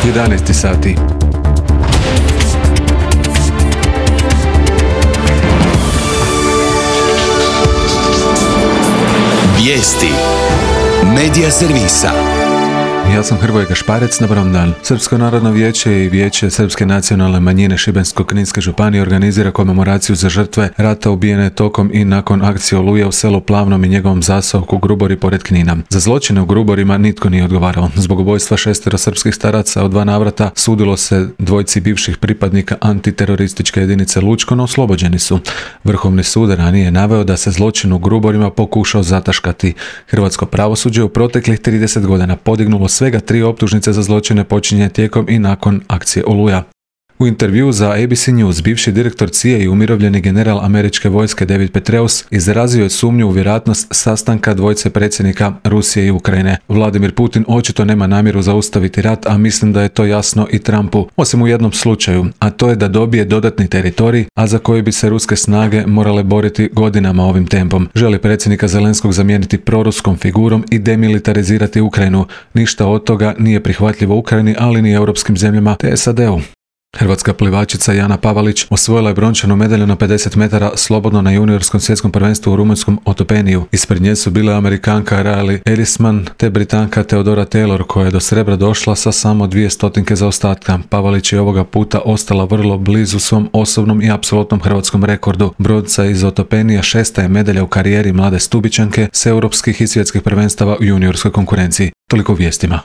11 sati. Vijesti Medija servisa. Ja sam Hrvoje Gašparec, dobar dan. Srpsko narodno vijeće i Vijeće Srpske nacionalne manjine Šibensko-kninske županije organizira komemoraciju za žrtve rata ubijene tokom i nakon akcije Oluja u selu Plavnom i njegovom zaseoku Grubori pored Knina. Za zločine u Gruborima nitko nije odgovarao. Zbog ubojstva 6 srpskih staraca u 2 navrata sudilo se 2 bivših pripadnika antiterorističke jedinice Lučko, no oslobođeni su. Vrhovni sud ranije je naveo da se zločin u Gruborima pokušao zataškati. Hrvatsko pravosuđe u proteklih 30 godina podignulo svega 3 optužnice za zločine počinjene tijekom i nakon akcije Oluja. U intervjuu za ABC News bivši direktor CIA i umirovljeni general američke vojske David Petraeus izrazio je sumnju u vjerojatnost sastanka 2 predsjednika Rusije i Ukrajine. Vladimir Putin očito nema namjeru zaustaviti rat, a mislim da je to jasno i Trumpu, osim u jednom slučaju, a to je da dobije dodatni teritorij, a za koji bi se ruske snage morale boriti godinama ovim tempom. Želi predsjednika Zelenskog zamijeniti proruskom figurom i demilitarizirati Ukrajinu. Ništa od toga nije prihvatljivo Ukrajini, ali ni europskim zemljama te SAD-u. Hrvatska plivačica Jana Pavalić osvojila je brončanu medalju na 50 metara slobodno na juniorskom svjetskom prvenstvu u rumunjskom Otopeniju. Ispred nje su bile Amerikanka Riley Ellisman te Britanka Theodora Taylor, koja je do srebra došla sa samo 200 zaostatka. Pavalić je ovoga puta ostala vrlo blizu svom osobnom i apsolutnom hrvatskom rekordu. Bronca iz Otopenija 6. je medalja u karijeri mlade Stubičanke s europskih i svjetskih prvenstava u juniorskoj konkurenciji. Toliko u vijestima.